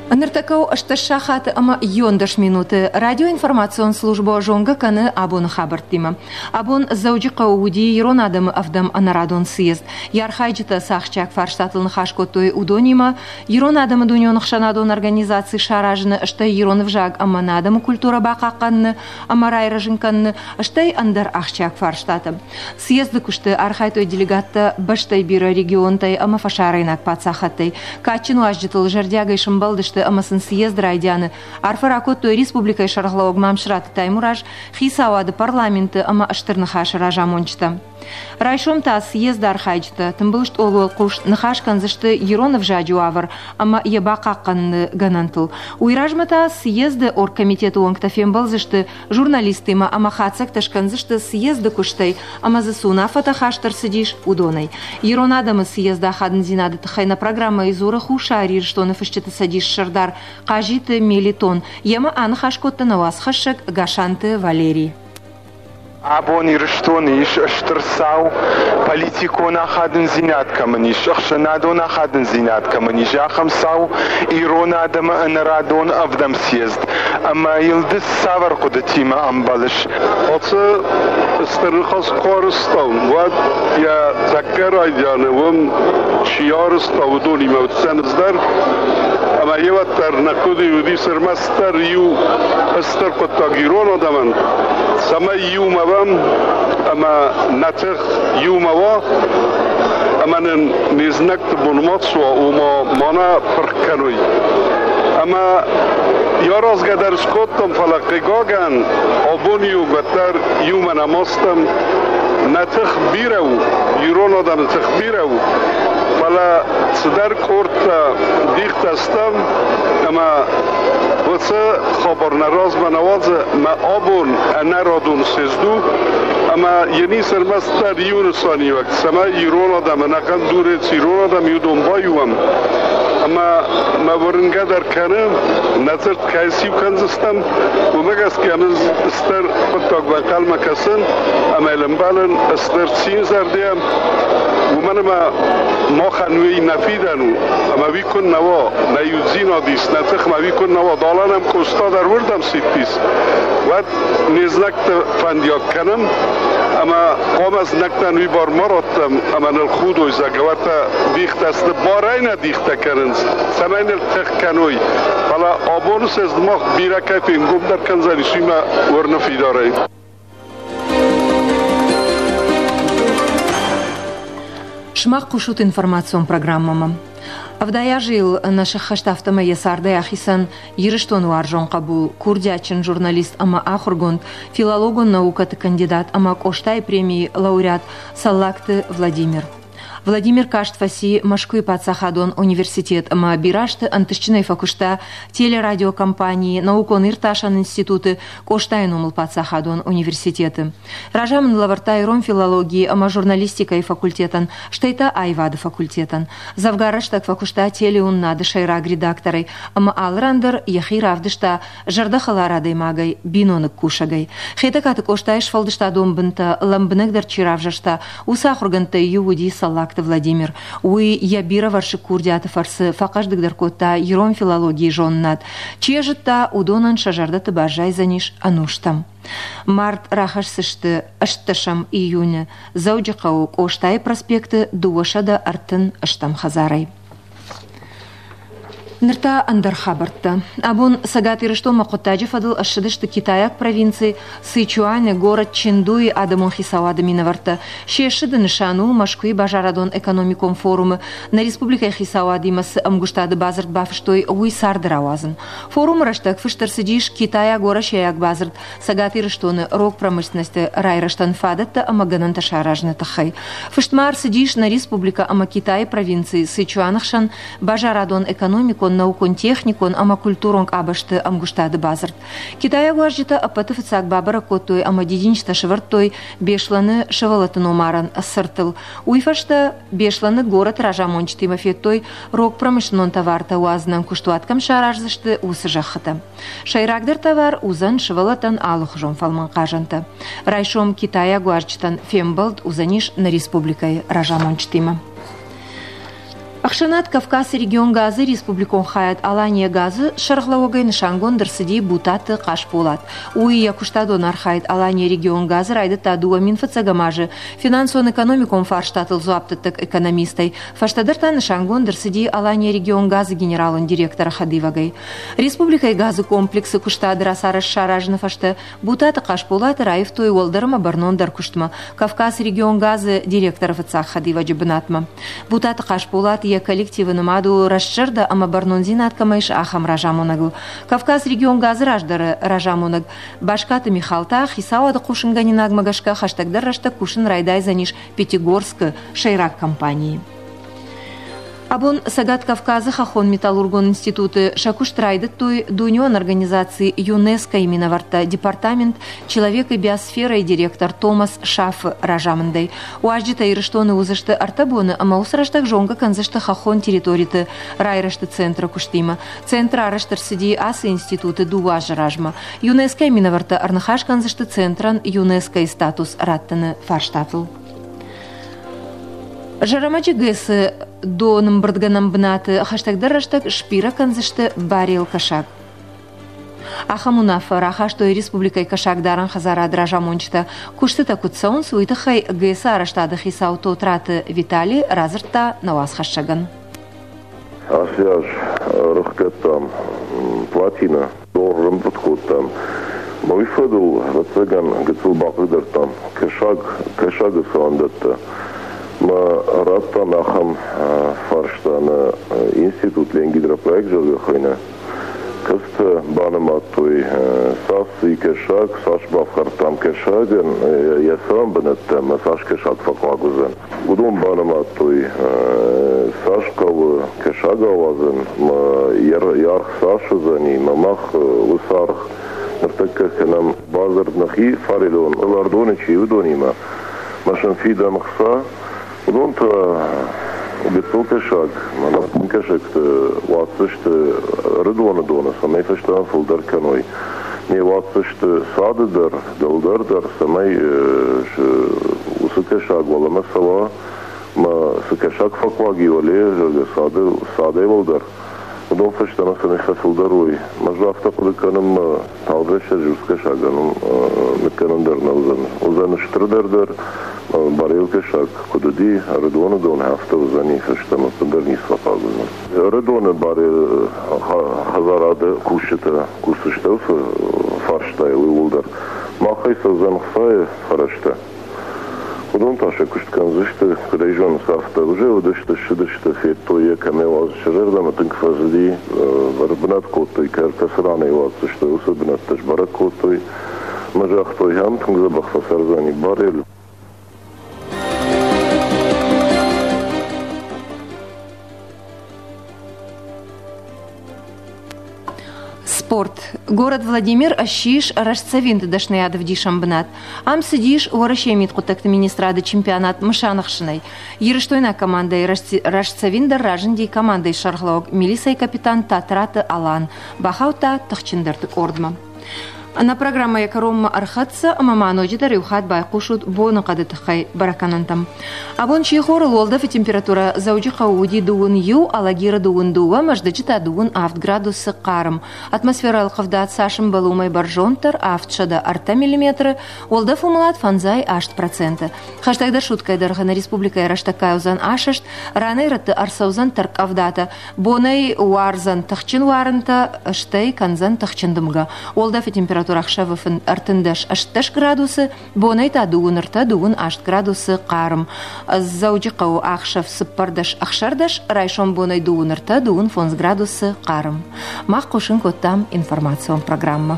Ныртӕккӕ у 18 сахаты ӕмӕ 11 минуты. Радиоинформацион службӕ зонгӕ кӕны абоны хабӕрттимӕ. Абон Дзӕуджыхъӕуы уыди ирон адӕмы ӕвдӕм ӕнӕрадон съезд. Йӕ архайджытӕ цы ахсджиаг фарстатыл ныхас кодтой, уыдонимӕ ирон адӕмы дунеон ӕхсӕнадон организаци саразыны, стӕй ирон ӕвзаг ӕмӕ нӕ адӕмы культурӕ бахъахъхъӕныны ӕмӕ райрӕзын кӕныны, стӕй ӕндӕр ахсджиаг фарстатӕ. Съезды куысты архайдтой делегаттӕ бӕстӕйы бирӕ регионтӕй ӕмӕ фӕсарӕйнаг паддзахадтӕй. Кадджын уазджытыл зӕрдиагӕй сӕмбӕлдысты ӕмӕ сын съезд райдианы арфӕ ракодтой республикӕйы сӕргълӕууӕг Мамсыраты Таймураз, хицауады, парламенты ӕмӕ Стыр Ныхасы разамонджытӕ. Райсом та съезды архайджытӕ тымбыл стъолы уӕлхъус ныхас кӕндзысты ирон ӕвзаджы уавӕр ӕмӕ йӕ бахъахъхъӕныны гӕнӕнтыл. Уый размӕ та съезды оргкомитеты уӕнгтӕ фембӕлдзысты журналисттимӕ ӕмӕ хатдзӕгтӕ скӕндзысты съезды куыстӕй ӕмӕ дзы цы уынаффӕтӕ хаст ӕрцыдис, уыдонӕй. Ирон адӕмы съезды ахадындзинады тыххӕй нӕ программӕйы дзуры Хуссар Ирыстоны фысджыты цӕдисы сӕрдар Хъазиты Мелитон. Йемӕ аныхас кодта нӕ уацхӕссӕг Гасанты Валерий. Абон Ирыстоны ис стыр цау, политикон ахадындзинад кӕмӕн ис, ӕхсӕнадон ахадындзинад кӕмӕн ис, ахӕм цау ирон адӕмы ӕнӕрадон ӕвдӕм съезд. Ӕмӕ йыл ды цавӕр хъуыдытимӕ ӕмбӕлыс? Ацы стыр ныхас куы арызтам, уӕд йӕ тӕккӕ райдианы уым чи арызта, уыдонимӕ уыдтӕн ӕз дӕр. Ӕмӕ йе уӕддӕр нӕ хъуыды уыдис ӕрмӕстдӕр иу стыр хъуыддаг ирон адӕмӕн, цӕмӕй иумӕ уӕм ӕмӕ нӕ тых иумӕ уа, ӕмӕ нын не знӕгты бон ма суа, ома ма нӕ пырх кӕной. Ӕмӕ йӕ аразгӕ дӕр скодтам, фӕлӕ хъыгагӕн, абон иугӕддӕр иумӕ нӕма стӕм. Нӕ тых бирӕ у, ирон адӕмы тых бирӕ у, фӕлӕ цыдӕр къордтӕ дихтӕ стӕм, ӕмӕ уыцы хабар нӕ размӕ нӕ уадзы, мӕ абон ӕнӕрадон съезд у, ӕмӕ йын ис ӕрмӕстдӕр иу нысаниуӕг, цӕмӕй ирон адӕм ӕнӕхъӕн дунейы цы ирон адӕм и, уыдон баиу уӕм. Ӕмӕ мӕ уырнгӕ дӕр кӕны, нӕ дзырд кӕй сиу кӕндзыстӕм, уымӕ гӕсгӕ мын стыр хъуыддаг банхъӕлмӕ кӕсын ӕмӕ йыл ӕмбӕлын стыр цинзӕрдӕ, уымӕн ӕмӕ махӕн уый нӕ фидӕн у, ӕмӕ уый куы нӕ уа, нӕ иудзинад ис, нӕ тыхмӕ уый куы нӕ уа, далӕ нӕм Къоста дӕр уырдӕм сидтис, уӕд не знӕгты фӕндиаг кӕнӕм ӕмӕ хъуамӕ знӕгтӕн уый бар ма раттӕм ӕмӕ ныл худой, зӕгъгӕ, уӕртӕ дихтӕ сты, барӕй нӕ дихтӕ кӕнынц, цӕмӕй ныл тых кӕной. Фӕлӕ абоны съезд мах бирӕ кӕй фенгомдӕр кӕндзӕнис, уый мӕ уырны фидарӕй. Сымах хъусут информацион программӕмӕ. 70 азы йыл нӕ сӕххӕст, афтӕмӕй йӕ цардӕй ахицӕн Ирыстоны уарзон хъӕбул, курдиатджын журналист ӕмӕ ахуыргонд, филологон наукӕты кандидат ӕмӕ Къостайы премийы лауреат Цӕллагты Владимир. Владимир каст фӕци Мӕскуыйы паддзахадон университет ӕмӕ бирӕ азты ӕнтыстджынӕй фӕкуыста телерадиокомпанийы, наукон-иртасӕн институты, Къостайы номыл паддзахадон университеты. Разамынд лӕвӕрдта ирон филологийы ӕмӕ журналистикӕйы факультетӕн, стӕй та аивады факультетӕн. Дзӕвгар рӕстӕг фӕкуыста телеуынынады сӕйраг редакторӕй ӕмӕ алы ран дӕр йӕхи равдыста зӕрдӕхӕлар адӕймагӕй, биноныг кусӕгӕй. Хетӕгкаты Къостайы сфӕлдыстадон бынтӕ лӕмбынӕгдӕр чи равзӕрста, уыцы ахуыргӕндтӕй иу уыди Цӕллагты Владимир. Уый йӕ бирӕвӕрсыг курдиаты фӕрцы фӕхъӕздыгдӕр кодта ирон филологийы зонынад. Чи йӕ зыдта, уыдонӕн сӕ зӕрдӕты баззайдзӕнис ӕнустӕм. Мард рахӕсдзысты 18 июны Дзӕуджыхъӕуы Къостайы проспекты 230 хӕдзарӕй. Ныр та ӕндӕр хабӕрттӕ. Абон Цӕгат Ирыстонмӕ хъуыддаджы фӕдыл ссыдысты китайаг провинци Сычуаны, город Чендуйы адӕмон хицауады минӕвӕрттӕ. Се ссыды нысан у Мӕскуыйы базарадон-экономикон форумы нӕ республикӕйы хицауадимӕ цы ӕмгуыстады бадзырд бафыстой, уый царды рауадзын. Форумы рӕстӕг фыст ӕрцыдис китайаг-уӕрӕсейаг бадзырд Цӕгат Ирыстоны рог промышленносты райрӕзтӕн фадӕттӕ ӕмӕ гӕнӕнтӕ саразыны тыххӕй. Фыст ма ӕрцыдис нӕ республикӕ ӕмӕ Китайы провинци Сычуаны хсӕн базарадон-экономикон, наукон-техникон ӕмӕ культурон къабӕзты ӕмгуыстады бадзырд. Китайаг уазджытӕ ӕппӕты фыццаг бабӕрӕг кодтой ӕмӕ дидинджытӕ сӕвӕрдтой Беслӕны сывӕллӕтты номарӕн цыртыл. Уый фӕстӕ Беслӕны горӕты разамонджытимӕ федтой рог промышленнон товартӕ уадзынӕн куыстуат кӕм сараздзысты, уыцы зӕххытӕ. Сӕйрагдӕр товар уыдзӕн сывӕллӕттӕн алыхуызон фӕлмӕн хъазӕнтӕ. Райсом китайаг уазджытӕн фембӕлд уыдзӕнис нӕ республикӕйы разамонджытимӕ. Ӕхсӕнад Кавказы регион газы республикон хайад Алания газы сӕргълӕууӕгӕй нысангонд ӕрцыди Бутаты Хъасболат. Уый йӕ куыстадон архайд Алания регион газы райдыдта 2001 азы финансон-экономикон фарстатыл дзуапдӕттӕг экономистӕй. Фӕстӕдӕр та нысангонд ӕрцыди Алания регион газы генералон директоры хӕдивӕгӕй. Республикӕйы газы комплексы куыстады рацарӕзт саразыны фӕстӕ Бутаты Хъасболаты раивтой уӕлдӕр ӕмӕ бӕрнондӕр куыстмӕ, Кавказ регионгазы директоры фыццаг хӕдивӕджы бынатмӕ. Бутаты Хъасболат йӕ коллективы нымад у рӕстзӕрдӕ ӕмӕ бӕрнондзинад кӕмӕ ис, ахӕм разамонӕгыл. Кавказ регионгазы раздӕры разамонӕг Баскаты Михал та хицауады хъусынгӕнинагмӕ гӕсгӕ хӕстӕгдӕр рӕстӕг кусын райдайдзӕнис Пятигорскы сӕйраг компанийы. Абон Цӕгат Кавказы хӕххон-металлургон институты сӕ куыст райдыдтой дунеон организаци ЮНЕСКО-йы минӕвӕрттӕ департамент «Человек и биосфера»-йы директор Томас Шафы разамындӕй. Уазджытӕ Ирыстоны уыдзысты ӕртӕ боны ӕмӕ уыцы рӕстӕг зонгӕ кӕндзысты хӕххон территориты райрӕзты центры куыстимӕ. Центр арӕзт ӕрцыди ацы институты дыууӕ азы размӕ. ЮНЕСКО-йы минӕвӕрттӕ ӕрныхас кӕндзысты центрӕн ЮНЕСКО-йы статус раттыны фарстатыл. Зӕрӕмӕджы ГЭС-ы донӕмбырдгӕнӕн бынаты хӕстӕгдӕр рӕстӕг сбирӕ кӕндзысты барел кӕсаг. Ахӕм уынаффӕ рахастой республикӕйы кӕсагдарӕн хӕдзарады разамонджытӕ. Куыстытӕ куыд цӕуынц, уый тыххӕй ГЭС-ы арӕзтады хицау Тотраты Витали радзырдта нӕ уацхӕссӕгӕн. Ацы аз ӕрыхгӕдтам платинӕ, дор ӕрӕмбырд кодтам. Уый фӕдыл, ӕвӕццӕгӕн, гыццыл бахъыгдардтам кӕсаг, кӕсагы цуандӕттӕ. Мӕ радтам ахӕм фарста нӕ институт Ленгидропроект, зӕгъгӕ, хуыйны. Кӕцытӕ банымадтой, цас и кӕсаг, цас бафхӕрдтам кӕсагӕн, йӕ цӕрӕн бынӕттӕ ӕмӕ цас кӕсаг фӕхъуаг уыдзӕн. Уыдон банымадтой, цас хъӕуы кӕсаг ауадзын, мӕ йӕ аргъ цас уыдзӕни, мӕ мах уыцы аргъ ныртӕккӕ кӕнӕм бадзырд нӕхи фарелон ӕлардоны чи уыдонимӕ, мӕ сын фидӕм хца. Уыдон та гыццыл кӕсаг, мӕнӕ кӕсӕгты уадздзысты Ӕрыдоны доны, цӕмӕй фӕстӕмӕ фылдӕр кӕной. Не уадздзысты цады дӕр, дӕлдӕр дӕр, цӕмӕй уыцы кӕсаг уӕлӕмӕ цӕуа, мӕ цы кӕсаг фӕхъуаг и уӕле, зӕгъгӕ, цады, цадӕй уӕлдӕр, уыдон фӕстӕмӕ цӕмӕй фӕфылдӕр уой. Ӕз афтӕ хъуыды кӕнын, мӕ тагъд рӕстӕджы уыцы кӕсагӕн ныккӕнын дӕр нӕ уыдзӕн. Уыдзӕн стырдӕр дӕр, барел кӕсаг куыд уыди, Ӕрыдоны дон афтӕ уыдзӕни, фӕстӕмӕ ӕппындӕр ницы фӕхъаг уыдзӕн. Ӕрыдоны барел хӕдзарады кусджытӕ кусдзысты уыцы фарстайыл иууылдӕр. Махӕй цӕудзӕн хцайы фӕрӕзтӕ. Уыдон та сӕ куыст кӕндзысты, куыд ӕй зонынц, афтӕ. Уже уыдысты, ссыдысты, федтой йӕ, кӕм ӕй уадзы, сӕ зӕрдӕмӕ тынг фӕцыди, ӕрбынат кодтой, кӕцы ран ӕй уадздзысты, уыцы бынӕттӕ сбӕрӕг кодтой. Ӕмӕ загътой, ам тынг дзӕбӕх фӕцӕрдзӕни Барель. Спорт. Город Владимир ссис рӕстдзӕвинты дӕсныйады ӕвдисӕн бынат. Ам цыдис Уӕрӕсейы мидхъуыддӕгты министрады чемпионат мысанӕхсынӕй. Ирыстойнаг командӕйы рӕстдзӕвиндӕр разынди командӕйы сӕргълӕууӕг милицӕйы капитан Татраты Алан. Бахаудта тыхджындӕрты къордмӕ. Нӕ программӕйы кӕронмӕ ӕрхӕццӕ ӕмӕ ма ноджыдӕр иу хатт байхъусут боныхъӕды тыххӕй бӕрӕггӕнӕнтӕм. Абон сихорыл уӕлдӕфы температурӕ Дзӕуджыхъӕуы уыди дыууын иу, Алагиры дыууын дыууӕ, Мӕздӕджы та дыууын авд градусы хъарм. Атмосферӕ ӕлхъывдад цас ӕмбӕлы, уымӕй бӕрзонддӕр, 703 миллиметры, уӕлдӕф уымӕлад фӕндзай аст проценты. Хӕстӕгдӕр суткӕйы дӕргъы нӕ республикӕйы рӕстӕггай уыдзӕн асӕст, ранӕй-рӕтты ӕрцӕудзӕн тӕрккъӕвдатӕ, Бонӕй уардзӕн тыхджын уарынтӕ, стӕй кӕндзӕн тыхджын дымгӕ. Уӕлдӕфы температурӕ ӕхсӕвы 38 градусы, бонӕй та дыууын ӕртӕ, дыууын аст градусы хъарм. Дзӕуджыхъӕуы ӕхсӕв цыппӕрдӕс ӕхсӕрдӕс, райсом бонӕй дыууын ӕртӕ, дыууын фондз градусы хъарм. Мах хъусын кодтам информацион программӕ.